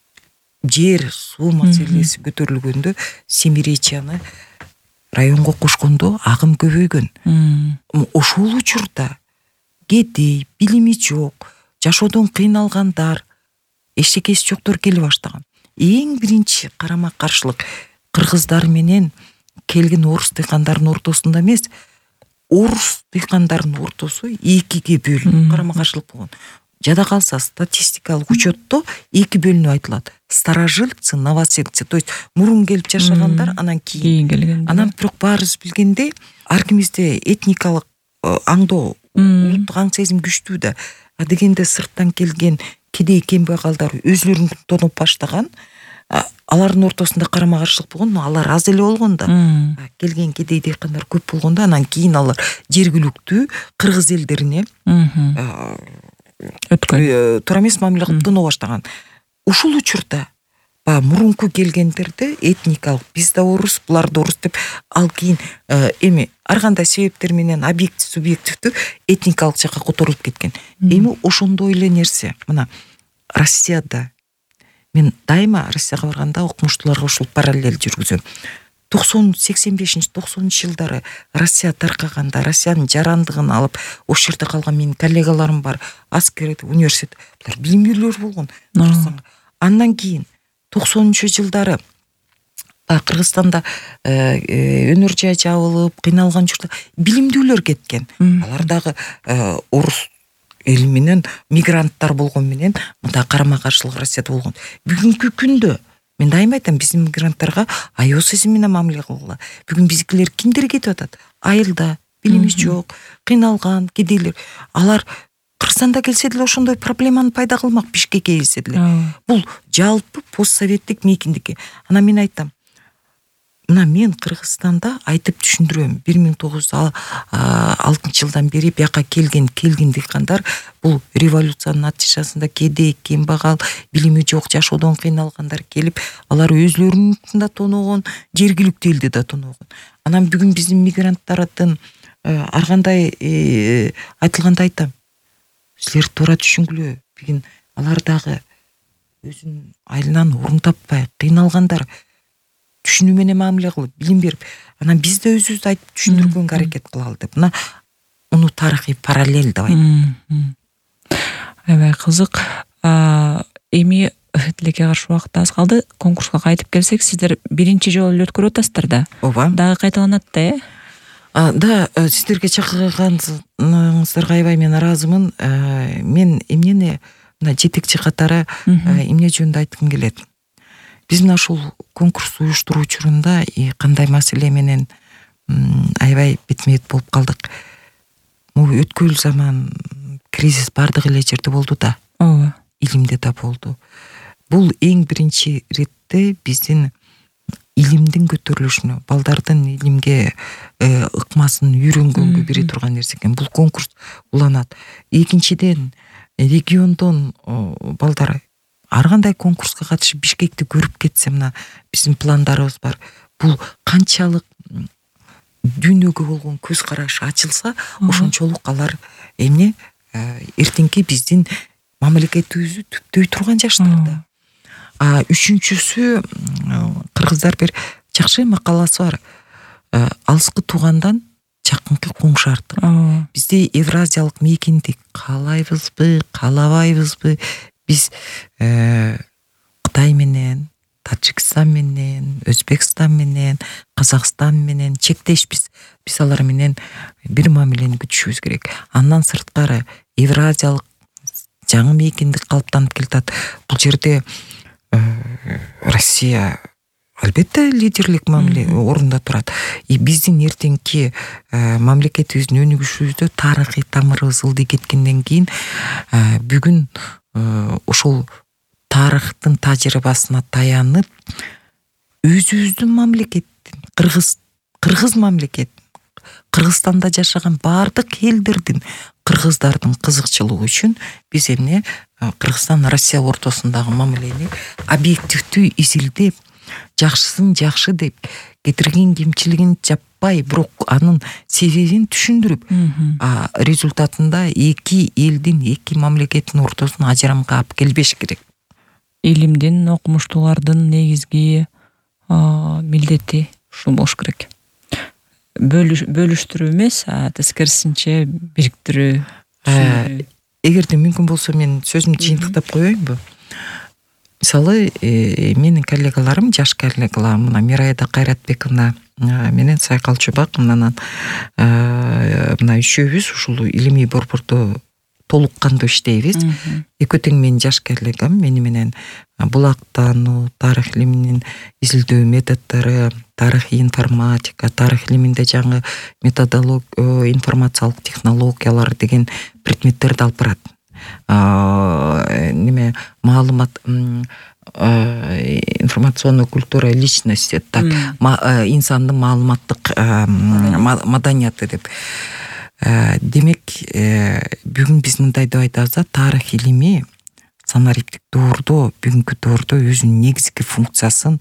жер, суу маселеси көтөрүлгөндө Семиречьяны районго кошкондо агым көбөйгөн. Ошол учурда кедей, билими жок, жашоодон кыйналгандар, эчтекеси жоктор келе баштаган. Эң биринчи карама каршылык кыргыздар менен келген орус дыйкандардын ортосунда эмес, орус дыйкандардын ортосу экиге бөлүнүп карама каршылык болгон. Жада калса статистикалык учетто эки бөлүнүп айтылат. Старожильцы, новосельцы, то есть мурун келип жашагандар, анан кийин келгендер. Анан бирок баарыбыз билгендей, ар кимибизде этникалык аңдоо, улуттук аң сезим күчтүү да. Дегенде сырттан келген кедей кембагалдар өзлөрүн тонуп баштаган, алардын ортосунда карама каршылык болгон, алар аз эле болгон да. Келген кедей дыйкандар көп болгондо, анан кийин алар жергиликтүү кыргыз элдерине туура эмес мамиле кылып тоноо баштаган. Ушул учурда мурунку келгендерде этникалык биз да орус, булар да орус деп, ал кийин эми ар кандай себептер менен объектив, субъективдүү этникалык жакка которулуп кеткен. Эми ошондой эле нерсе мына Россияда, мен дайыма Россияга барганда окумуштууларга ушул параллель жүргүзөм. 85-90 жылдары Россия таркаганда, Россиянын жарандыгын алып, ошол жерде калган менин коллегаларым бар, аскер, университет, булар билимдүүлөр болгон. Андан кийин 90-жылдары Кыргызстанда өнөр жай жабылып, кыйналган учурда билимдүүлөр кеткен. Алар дагы орус эл менен мигранттар болгон менен мындай карама каршылык Россияда болгон. Бүгүнкү күндө мен дайыма айтам, биздин мигранттарга аял сезим менен мамиле кылгыла. Бүгүн биздикилер кимдер кетип атат? Айылда, билими жок, кыйналган кедейлер. Алар Кыргызстанда келсе деле ошондой проблеманы пайда кылмак, Бишкекке келсе деле. Бул жалпы постсоветтик мейкиндики. Анан мен айтам, мына мен Кыргызстанда айтып түшүндүрөм. 1906-жылдан бери бияка келген дыйкандар бул революциянын натыйжасында кедей, кембагал, билими жок, жашоодон кыйналгандар келип, алар өзлөрүнүн да тоногон, жергиликтүү элди да тоногон. Анан бүгүн биздин мигранттардын ар кандай айтылганда айтам, силер туура түшүнгүлө, бүгүн алар дагы өзүнүн айылынан орун таппай кыйналгандар, түшүнүү менен мамиле кылып, билим берип, анан биз да өзүбүздү айтып түшүндүргөнгө аракет кылалы деп. Мына уну тарыхый параллель деп айтам. Аябай кызык. Эми тилекке каршы убакыт аз калды. Конкурска кайтып келсек, сиздер биринчи жолу эле өткөрүп атасыздар да. Ооба. Дагы кайталанат да, Да, сиздерге чакырганыңыздарга аябай мен ыраазымын. Мен эмнени мына жетекчи катары эмне жөнүндө айткым келет. Биз мына ушул конкурс уюштуруу учурунда кандай маселе менен аябай бетме-бет болуп калдык. Могу өткүл заман кризис бардык эле жерде болду да. Ооба. Илимде да болду. Бул эң биринчи иретте биздин илимдин көтөрүлүшүнө, балдардын илимге ыкмасын үйрөнгөнгө бере турган нерсе экен. Бул конкурс уланат. Экинчиден, региондон балдар ар кандай конкурска катышып Бишкекти көрүп кетсе, мына биздин пландарыбыз бар. Бул канчалык дүйнөгө болгон көз карашы ачылса, ошончолук алар эмне эртеңки биздин мамлекетибизди түптөй турган жаштарда. Үчүнчүсү, кыргыздар бир жакшы макаласы бар. Алыскы туугандан жакынкы коңшу артык. Бизде евразиялык мейкиндик каалайбызбы, каалабайбызбы? Биз Кытай менен, Таджикстан менен, Өзбекстан менен, Казакстан менен чектешпиз. Биз алар менен бир мамилени күтүшүбүз керек. Андан сырткары евразиялык жаңы мейкиндик калыптанып келатат. Бул жерде Россия Албетте лидерлик мамиле орунда турат. Биздин эртеңки мамлекетибиздин өнүгүшүбүздө тарыхый тамырыбыз ылдый кеткенден кийин бүгүн ошол тарыхтын тажрыйбасына таянып өзүбүздүн мамлекеттин кыргыз мамлекет, Кыргызстанда жашаган баардык элдердин, кыргыздардын кызыкчылыгы үчүн биз эмне Кыргызстан Россия ортосундагы мамилени объективдүү изилдеп, жакшысын жакшы деп, кетирген кемчилигин жаппай, бирок анын себебин түшүндүрүп, результатында эки элдин, эки мамлекеттин ортосуна ажырамга алып келбеш керек. Илимдин, окумуштуулардын негизги милдети ушул болуш керек. Бөлүштүрүү эмес, тескерисинче бириктирүү. Эгерде мүмкүн болсо мен сөзүмдү жыйынтыктап коеюнбу? Мисалы, менин коллегаларым, жаш коллегаларым, мына Мирайда Кайратбековна менен Сайкал Чубак, мына үчөөбүз ушул илимий борбордо толук кандуу иштейбиз. Экөө тең менин жаш коллегам, мени менен булактануу, тарых илиминин изилдөө методдору, тарыхый информатика, тарых илиминде жаңы методология, информациялык технологиялар деген предметтерди алып барат. Маалымат, информационная культура личности, так, инсандын маалыматтык маданияты деп. Демек, бүгүн биз мындай деп айтабыз да, тарых илими санариптик доордо, бүгүнкү доордо өзүнүн негизги функциясын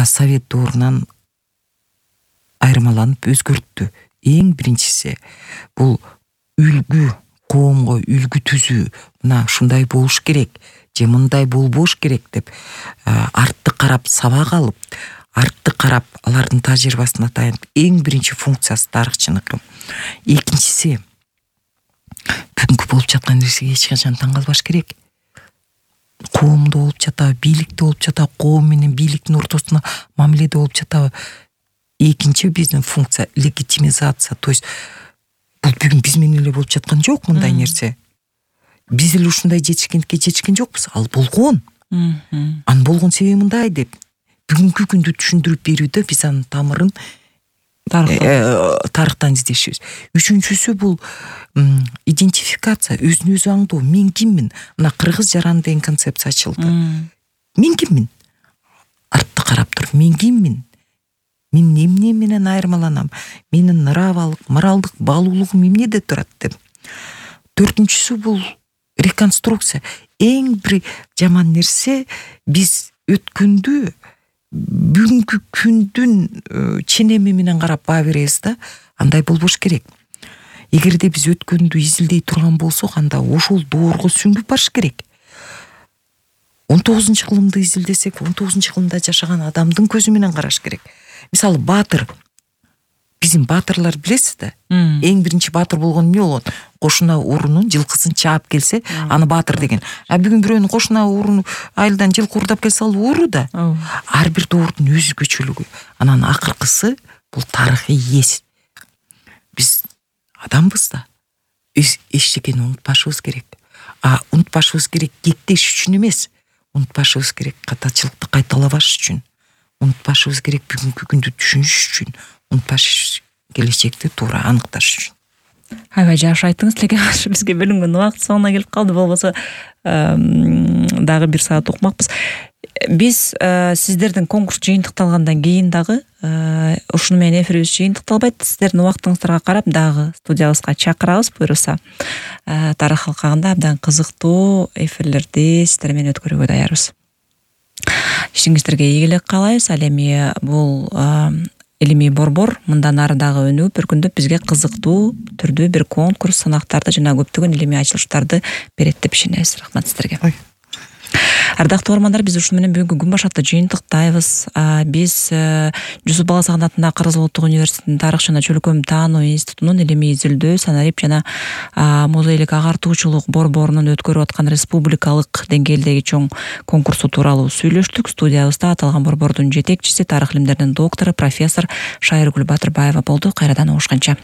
Совет доорунан айырмаланып өзгөрттү. Эң биринчиси бул үлгү, коомго үлгү түзүү, мына ушундай болуш керек, же мындай болбош керек деп артты карап сабак алып, артты карап алардын тажрыйбасына таянып, эң биринчи функциясы тарыхчыныкы. Экинчиси, бүгүнкү болуп жаткан нерсеге эч качан таң калбаш керек. Коомдо болуп жатабы, бийликте болуп жатабы, коом менен бийликтин ортосуна мамиледе болуп жатабы. Экинчи биздин функция легитимизация, то есть бул бүгүн биз менен эле болуп жаткан жок мындай нерсе. Биз эле ушундай жетишкен жокпуз, ал болгон. Анын болгон себеби мындай деп бүгүнкү күндү түшүндүрүп берүүдө биз анын тамырын тарыхтан издешибиз. Үчүнчүсү бул идентификация, өзүн өзү аңдоо. Мен киммин? Мына кыргыз жараны деген концепция ачылды. Мен киммин? Артты карап туруп, мен киммин? Мен эмне менен айырмаланам? Менин нравалык, моралдык баалуулугум эмнеде турат деп. Төртүнчүсү бул реконструкция. Эң бир жаман нерсе, биз өткөндү бүгүнкү күндүн ченеми менен карап баа беребиз да, андай болбош керек. Эгерде биз өткөндү изилдей турган болсок, анда ошол доорго сүңгүп барыш керек. 19-кылымды изилдесек, 19-кылымда жашаган адамдын көзү менен караш керек. Мисалы, баатыр. Биздин баатырлар билесиз да? Эң биринчи баатыр болгон эмне болгон? Кошуна урунун жылкысын чаап келсе, аны баатыр деген. Бүгүн бирөөнүн кошуна урун айылдан жылкы урдап келсе, ал уру да. Ар бир доордун өзгөчөлүгү. Анан акыркысы бул тарыхый эс. Биз адамбыз да. Эчтекени унутпашыбыз керек. Унутпашыбыз керек кеттеш үчүн эмес. Унутпашыбыз керек катачылыкты кайталабаш үчүн. Унутпашыбыз керек бүгүнкү күндү түшүнүш үчүн. Унутпаш келечекти туура аныкташ үчүн. Аябай жакшы айттыңыз, лекен бизге бөлүнгөн убакыт соңуна келип калды. Болбосо дагы 1 саат окумакпыз. Биз сиздердин конкурс жыйынтыкталгандан кийин дагы ушуну менен эфирибиз жыйынтыкталбайт. Сиздердин убактыңыздарга карап дагы студиябызга чакырабыз, буюрса. Тарых алкагында абдан кызыктуу эфирлерди сиздер менен өткөрүүгө даярбыз. Ишиңиздерге ийгилик каалайбыз. Ал эми бул илимий борбор мындан ары дагы өнүгүп, бир күндө бизге кызыктуу түрдүү бир конкурс, сынактарды жана көптөгөн илимий ачылыштарды берет деп ишенебиз. Рахмат сиздерге. Ардактуу угармандар, биз ушу менен бүгүнкү күн башатты жыйынтыктайбыз. Биз Жусуп Баласаган атындагы Кыргыз Улуттук университетинин тарых жана чөлкөм таануу институтунун илимий изилдөө, санарип жана музейлик агартуучулук борборунун өткөрүп аткан республикалык деңгээлдеги чоң конкурсу тууралуу сүйлөштүк. Студиябызда аталган борбордун жетекчиси, тарых илимдеринин доктору, профессор Шайыргүл Батырбаева болду. Кайрадан угушканча.